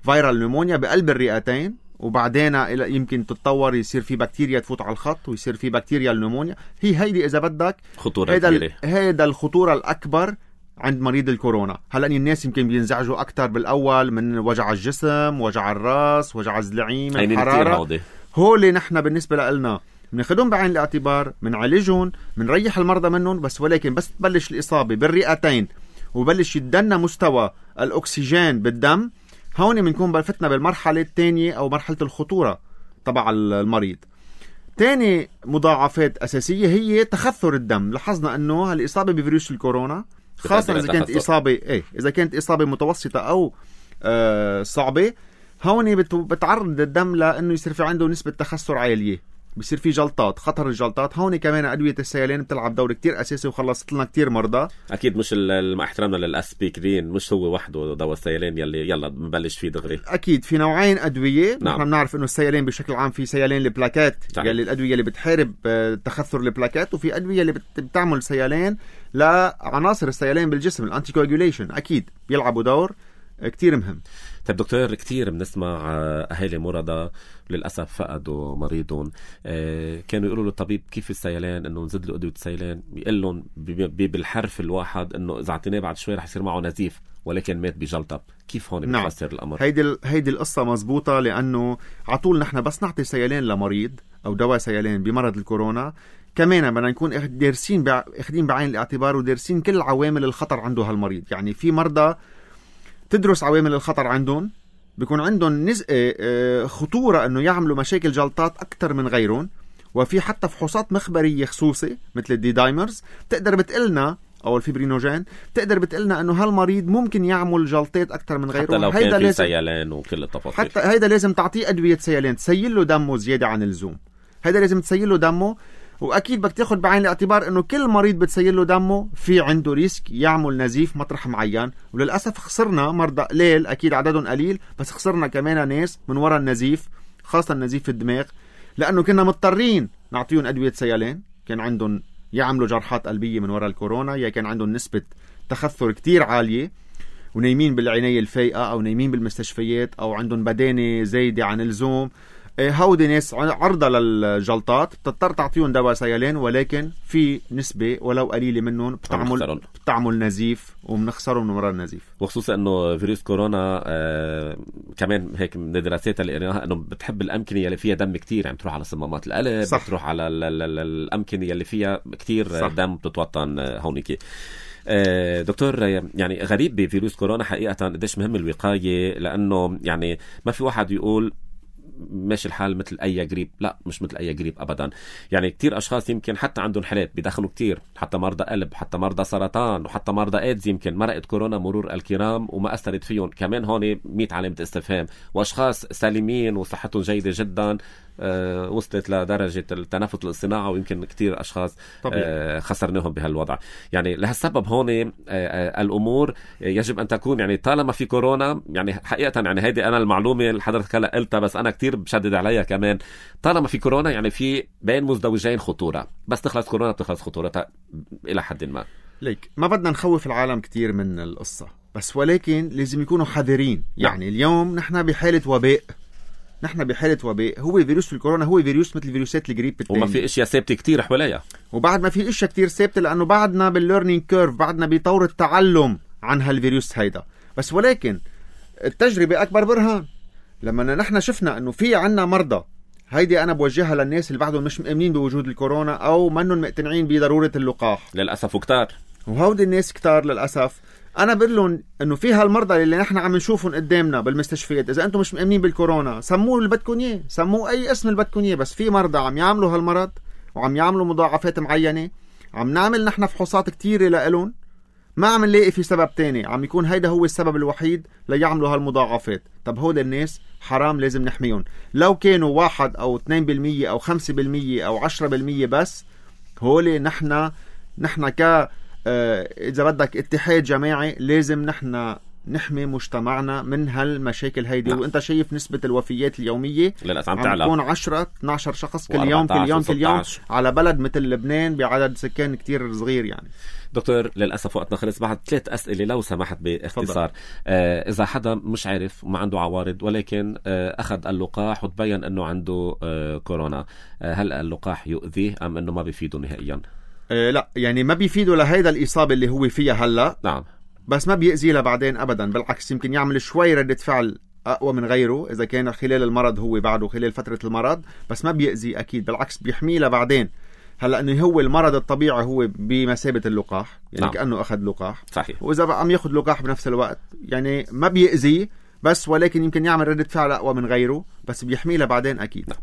فيرال نمونيا بقلب الرئتين، وبعدين يمكن تتطور يصير في بكتيريا تفوت على الخط ويصير في بكتيريا النمونيا. هي هيدي إذا بدك خطورة هيدا كبيرة. هيدا الخطورة الأكبر عند مريض الكورونا. هلأ الناس يمكن بينزعجوا أكتر بالأول من وجع الجسم، وجع الراس، وجع الزلعيم، الحرارة. هولي نحن بالنسبة لنا بناخدهم بعين الاعتبار، بنعالجهم، بنريح المرضى منهم، بس ولكن بس تبلش الإصابة بالرئتين وبلش يدنا مستوى الأكسجين بالدم، هون بنكون بلفتنا بالمرحلة الثانية أو مرحلة الخطورة تبع المريض. تاني مضاعفات أساسية هي تخثر الدم. لاحظنا أنه الإصابة بفيروس الكورونا، خاصة إذا كانت إصابة إيه إذا كانت إصابة متوسطة أو آه صعبة، هون بتعرض الدم لأنه يصير في عنده نسبة تخثر عالية، بيصير في جلطات، خطر الجلطات. هون كمان أدوية السيلان بتلعب دور كتير أساسي وخلصت لنا كتير مرضى. أكيد مش مع احترامنا للأسبيكرين، مش هو وحده دواء السيلان يلي يلا بنبلش فيه دغري. أكيد في نوعين أدوية. نعم. نحن بنعرف إنه السيلان بشكل عام في سيلان البلاكات، طيب. يلي الأدوية اللي بتحارب تخثر البلاكات، وفي أدوية اللي بتعمل سيلان لعناصر السيلان بالجسم، الأنتي كواجوليشن، أكيد بيلعبوا دور كتير مهم. طيب دكتور، كتير بنسمع أهالي مرضى للأسف فقدوا مريضهم، كانوا يقولوا للطبيب كيف السيلان، إنه نزيد له أدوية السيلان، بيقول لهم بالحرف الواحد إنه إذا عطيناه بعد شوي رح يصير معه نزيف، ولكن مات بجلطة. كيف هون نعم. بتفسر الأمر؟ هيدي هيدي القصة مزبوطة، لأنه عطول نحن بس نعطي سيلان لمريض أو دواء سيلان بمرض الكورونا، كمان بدنا نكون دارسين اخدين بعين الاعتبار ودارسين كل عوامل الخطر عنده هالمريض. يعني في مرضى تدرس عوامل الخطر عندهم، بيكون عندهم نسبة خطورة أنه يعملوا مشاكل جلطات أكتر من غيرهم، وفي حتى فحوصات مخبرية خصوصي مثل الدي دايمرز تقدر بتقلنا، أو الفيبرينوجين تقدر بتقلنا أنه هالمريض ممكن يعمل جلطات أكتر من غيره، حتى لو كان في سيلان وكل التفاصيل. حتى هيدا لازم تعطيه أدوية سيلان تسيل له دمه زيادة عن اللزوم. هيدا لازم تسيل له دمه، وأكيد بدك تاخد بعين الاعتبار أنه كل مريض بتسيل له دمه في عنده ريسك يعمل نزيف مطرح معين. وللأسف خسرنا مرضى قليل، أكيد عددهم قليل، بس خسرنا كمان ناس من وراء النزيف، خاصة النزيف في الدماغ، لأنه كنا مضطرين نعطيهم أدوية سيلان، كان عندهم يعملوا جرحات قلبية من وراء الكورونا، يا كان عندهم نسبة تخثر كتير عالية ونايمين بالعناية الفايقة أو نايمين بالمستشفيات أو عندهم بدانة زايدة عن اللزوم. هودي ناس عرضة للجلطات، بتضطر تعطيهم دواء سيلان، ولكن في نسبة ولو قليلة منهم بتعمل بتعمل نزيف وبنخسرهم من وراء النزيف. وخصوصا انه فيروس كورونا آه كمان هيك من الدراسات اللي قريناها انه بتحب الامكنه اللي فيها دم كتير، يعني تروح على صمامات القلب، صح. بتروح على الامكنه اللي فيها كتير صح. دم بتتوطن هونيك. آه دكتور، يعني غريب بفيروس كورونا حقيقة قديش مهم الوقاية، لأنه يعني ما في واحد يقول ماشي الحال مثل أي جريب، لا مش مثل أي جريب أبدا. يعني كتير أشخاص يمكن حتى عندهم حالات بيدخلوا كتير، حتى مرضى قلب، حتى مرضى سرطان، وحتى مرضى إيدز، يمكن مرقت كورونا مرور الكرام وما أثرت فيهم. كمان هون مية علامة استفهام. وأشخاص سالمين وصحتهم جيدة جدا آه وصلت لدرجة التنفس الاصطناعي، ويمكن كتير أشخاص آه خسرناهم بهالوضع. يعني لهالسبب هون آه آه الأمور يجب أن تكون، يعني طالما في كورونا، يعني حقيقة يعني هيدي أنا المعلومة اللي حضرتك هلا قلتها، بس أنا كتير بشدد عليها كمان. طالما في كورونا يعني في بين مزدوجين خطورة، بس تخلص كورونا بتخلص خطورتها إلى حد ما. ليك ما بدنا نخوف العالم كتير من القصة، بس ولكن لازم يكونوا حذرين. يعني اليوم نحن بحالة وباء، نحن بحالة وباء. هو فيروس الكورونا هو فيروس مثل فيروسات الجريب التاني، وما في اشياء ثابته كتير حواليها، وبعد ما في اشياء كتير ثابته لانه بعدنا بالليرنينج كيرف، بعدنا بطور التعلم عن هالفيروس هيدا. بس ولكن التجربه اكبر برهان. لما نحن شفنا انه في عنا مرضى، هيدي انا بوجهها للناس اللي بعدهم مش مؤمنين بوجود الكورونا او منهم مقتنعين بضروره اللقاح للاسف وكتار، وهودي الناس كتار للاسف. انا بقول لهم انه في هالمرضى اللي نحن عم نشوفهم قدامنا بالمستشفيات، اذا انتم مش مؤمنين بالكورونا سموه اللي بدكم اياه، سموه اي اسم اللي بدكم اياه، بس في مرضى عم يعملوا هالمرض وعم يعملوا مضاعفات معينه، عم نعمل نحن فحوصات كتيره لإلهم، ما عم نلاقي في سبب تاني، عم يكون هيدا هو السبب الوحيد ليعملوا هالمضاعفات. طب هول الناس حرام لازم نحميهم. لو كانوا واحد او اثنين بالمية او خمسة بالمية او عشرة بالمية بس، هولي نحن نحن ك إذا بدك اتحاد جماعي لازم نحن نحمي مجتمعنا من هالمشاكل هيدي. نعم. وانت شايف نسبة الوفيات اليومية عم تكون عشرة اثني عشر شخص كل يوم كل يوم كل يوم على بلد مثل لبنان بعدد سكان كتير صغير يعني. دكتور للأسف وقتنا خلص، بعد ثلاث أسئلة لو سمحت باختصار. آه إذا حدا مش عارف وما عنده عوارض ولكن آه أخذ اللقاح وتبين أنه عنده آه كورونا، آه هل اللقاح يؤذيه أم أنه ما بيفيده نهائيا؟ آه لا يعني ما بيفيده لهيدا الإصابة اللي هو فيها هلأ. نعم. بس ما بيأذيه لبعدين أبدا، بالعكس يمكن يعمل شوي ردة فعل أقوى من غيره إذا كان خلال المرض هو بعده خلال فترة المرض، بس ما بيأذيه أكيد، بالعكس بيحميه لبعدين. هلا انه هو المرض الطبيعي هو بمثابه اللقاح يعني. نعم. كانه اخذ لقاح صحيح، واذا عم ياخذ لقاح بنفس الوقت يعني ما بيأذيه، بس ولكن يمكن يعمل ردة فعل اقوى من غيره، بس بيحميه لبعدين اكيد. نعم.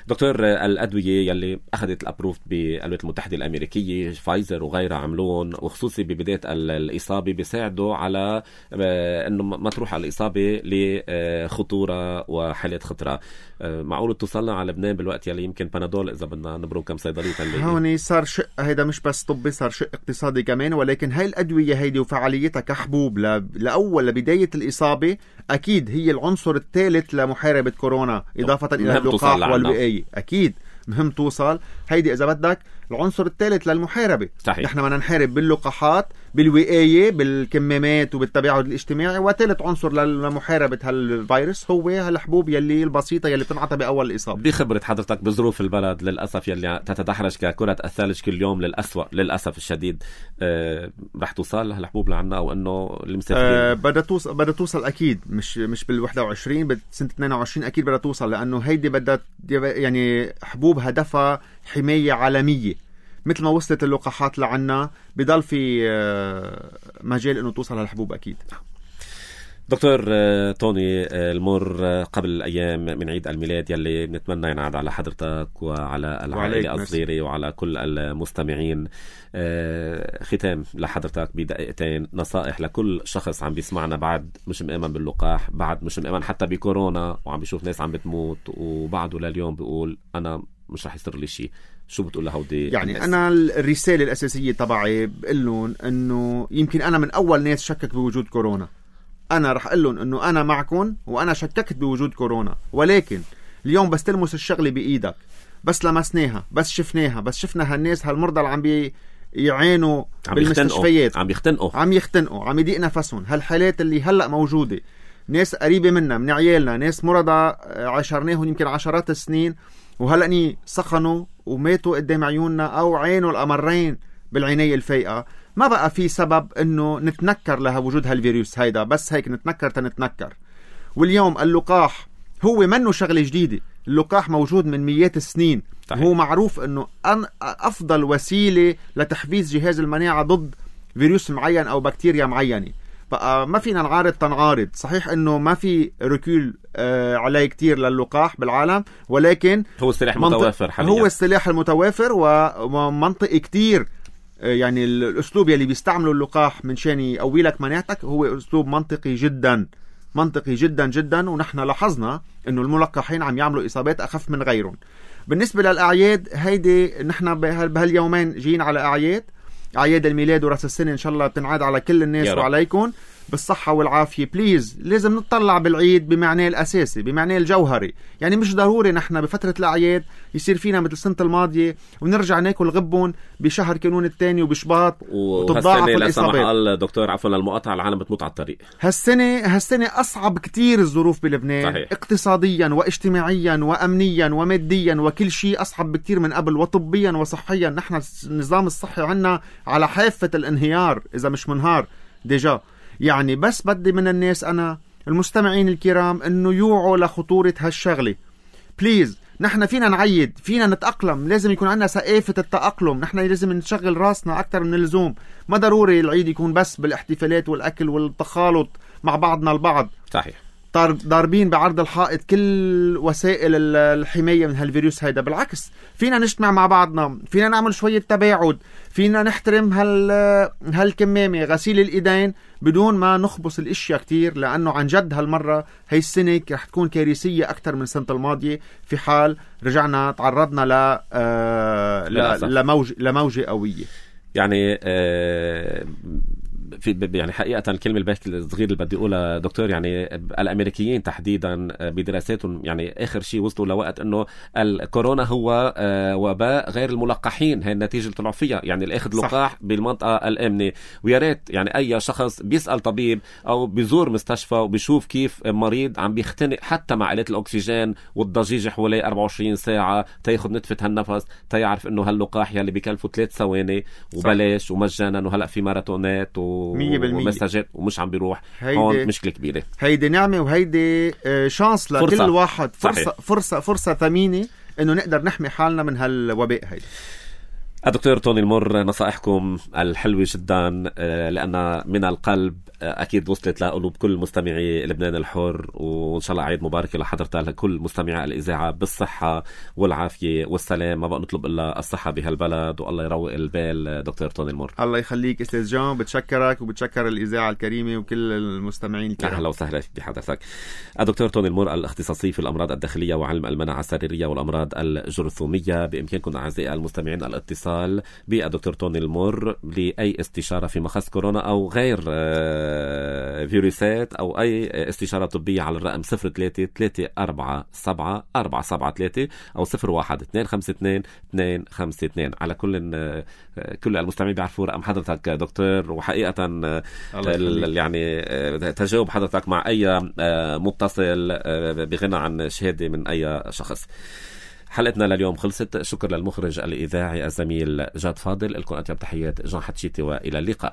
دكتور الادويه يلي اخذت الابروف بالولايات المتحده الامريكيه، فايزر وغيرها عملون، وخصوصي ببدايه الاصابه بيساعدوا على انه ما تروح على الاصابه لخطوره وحالات خطره. معقول توصلنا على لبنان بالوقت يلي يمكن بنادول اذا بدنا نبرم كم صيدليه تنلاقي؟ هون صار شق، هيدا مش بس طبي، صار شق اقتصادي كمان. ولكن هاي الادويه هيدي وفعاليتها كحبوب لاول لبدايه الاصابه اكيد هي العنصر الثالث لمحاربه كورونا، اضافه الى اللقاح والوقايه. اكيد مهم توصل، هيدي اذا بدك العنصر الثالث للمحاربه. صحيح. نحن بدنا نحارب باللقاحات، بالوقايه، بالكمامات وبالتباعد الاجتماعي، وثالث عنصر لمحاربه هالفيروس هو هالحبوب يلي البسيطه يلي بتنعطى باول الاصابه. بخبره حضرتك بظروف البلد للاسف يلي تتدحرج ككره الثلج كل يوم للاسوأ للاسف الشديد، أه رح توصل هالحبوب لعنا او انه المسافرين؟ أه بدها توصل، بدها توصل اكيد، مش مش بال واحد وعشرين، بسنه اثنين وعشرين اكيد بدها توصل، لانه هيدي بدها يعني حبوب هدفها حمايه عالميه مثل ما وصلت اللقاحات لعنا، بضل في مجال انه توصل هالحبوب اكيد. دكتور توني المر، قبل ايام من عيد الميلاد يلي بنتمنى ينعاد على حضرتك وعلى العائله الصغيره وعلى كل المستمعين، ختام لحضرتك بدقيقتين، نصائح لكل شخص عم بيسمعنا بعد مش مؤمن باللقاح، بعد مش مؤمن حتى بكورونا، وعم بيشوف ناس عم بتموت وبعده لليوم بيقول انا مش رح يصير لي شيء، شو بتقول لهودي يعني الناس؟ أنا الرسالة الأساسية تبعي بقول لهم إنه يمكن أنا من أول ناس شكك بوجود كورونا، أنا رح أقول لهم إنه أنا معكم وأنا شككت بوجود كورونا، ولكن اليوم بس تلمس الشغلة بإيدك، بس لمسناها، بس شفناها، بس شفنا هالناس هالمرضى اللي عم بي يعانوا بالمستشفيات، عم يختنقوا عم يختنقوا عم يضيق نفسهم، هالحالات اللي هلأ موجودة، ناس قريبة منا من عيالنا، ناس مرضى عاشرناهم يمكن عشرات السنين وهلأني سخنوا وماتوا قدام عيوننا أو عينوا الأمرين بالعناية الفايقة. ما بقى في سبب إنه نتنكر لها وجود هالفيروس هيدا، بس هيك نتنكر تنتنكر. واليوم اللقاح هو منه شغلة جديدة، اللقاح موجود من مئات السنين. طيب. هو معروف إنه أفضل وسيلة لتحفيز جهاز المناعة ضد فيروس معين أو بكتيريا معينة. بقى ما فينا نعارض تنعارض، صحيح انه ما في ركول آه عليه كتير للقاح بالعالم، ولكن هو السلاح المتوافر حاليا، هو السلاح المتوافر ومنطقي كتير. آه يعني الاسلوب يلي بيستعمله اللقاح من شان يقوي لك مناعتك هو اسلوب منطقي جدا، منطقي جدا جدا. ونحن لاحظنا انه الملقحين عم يعملوا اصابات اخف من غيرهم. بالنسبة للاعياد هيدي، نحن بهاليومين جايين على اعياد، اعياد الميلاد وراس السنه ان شاء الله بتنعاد على كل الناس وعليكم. بالصحة والعافية. بليز لازم نطلع بالعيد بمعناه الأساسي، بمعناه الجوهري. يعني مش ضروري نحن بفترة الأعياد يصير فينا مثل السنة الماضية ونرجع ناكل غبون بشهر كانون الثاني وبشباط وتتضاعف الإصابات. قال دكتور عفوا المقاطعة، العالم بتموت على الطريق. هالسنة هالسنة أصعب كتير الظروف بلبنان. صحيح. اقتصاديا واجتماعيا وأمنيا وماديا وكل شيء أصعب بكتير من قبل، وطبيا وصحيا. نحن النظام الصحي عنا على حافة الانهيار إذا مش منهار ديجا. يعني بس بدي من الناس أنا المستمعين الكرام إنه يوعوا لخطورة هالشغلة. بليز نحن فينا نعيد، فينا نتأقلم، لازم يكون عندنا ثقافة التأقلم. نحن لازم نشغل راسنا أكتر من اللزوم. ما ضروري العيد يكون بس بالاحتفالات والأكل والتخالط مع بعضنا البعض. صحيح. ضاربين بعرض الحائط كل وسائل الحماية من هالفيروس هيدا. بالعكس فينا نجتمع مع بعضنا، فينا نعمل شوية تباعد، فينا نحترم هال هالكمامة، غسيل الإيدين، بدون ما نخبص الاشياء كتير. لأنه عن جد هالمرة هاي السنة رح تكون كارثية أكتر من السنة الماضية في حال رجعنا تعرضنا ل آه لموج لموجة قوية. يعني آه في يعني حقيقة الكلمة الباكي الصغير اللي بدي أقولها دكتور، يعني الأمريكيين تحديدا بدراساتهم يعني آخر شيء وصلوا لوقت أنه الكورونا هو وباء غير الملقحين. هي النتيجة اللي طلعوا فيها، يعني الأخذ لقاح بالمنطقة الآمنة. ويا ريت يعني أي شخص بيسأل طبيب أو بيزور مستشفى وبيشوف كيف مريض عم بيختنق حتى مع آلات الأكسجين والضجيج حوالي أربعة وعشرين ساعة تياخد نتفة هالنفس، تيعرف أنه هاللقاح يلي بيكلفوا ثلاث ثواني وبلاش ومجانا، وهلأ في ماراثونات و ومساجات ومش عم بيروح. هون مشكلة كبيرة. هيدي نعمة وهيدي شانس لكل فرصة. واحد فرصة صحيح. فرصة فرصة ثمينة إنه نقدر نحمي حالنا من هالوباء هيدا. الدكتور توني المر، نصائحكم الحلوة جدا لأن من القلب أكيد وصلت لقلوب كل مستمعي لبنان الحر، وإن شاء الله عيد مبارك لحضرتك لكل مستمعي الإذاعة بالصحة والعافية والسلام. ما بقى نطلب إلا الصحة بهالبلد، والله يروق البال. دكتور توني المر، الله يخليك أستاذ جان، بتشكرك وبتشكر الإذاعة الكريمة وكل المستمعين الكرام. أهلا وسهلا بحضرتك. الدكتور توني المر الاختصاصي في الأمراض الداخلية وعلم المناعة السريرية والأمراض الجرثومية. بإمكانكم أعزائي المستمعين الاتصال بالدكتور توني المر لأي استشارة في مخص كورونا أو غير فيروسات أو أي استشارة طبية على الرقم صفر ثلاثة ثلاثة أربعة سبعة أربعة سبعة ثلاثة أو صفر واحد اثنين خمسة اثنين اثنين خمسة اثنين. على كل كل المستمعين بيعرفوا رقم حضرتك دكتور، وحقيقة يعني تجاوب حضرتك مع أي متصل بغنى عن شهادة من أي شخص. حلقتنا لليوم خلصت. شكر للمخرج الإذاعي الزميل جاد فاضل. لكم أطيب تحيات جان حتشيتي، وإلى اللقاء.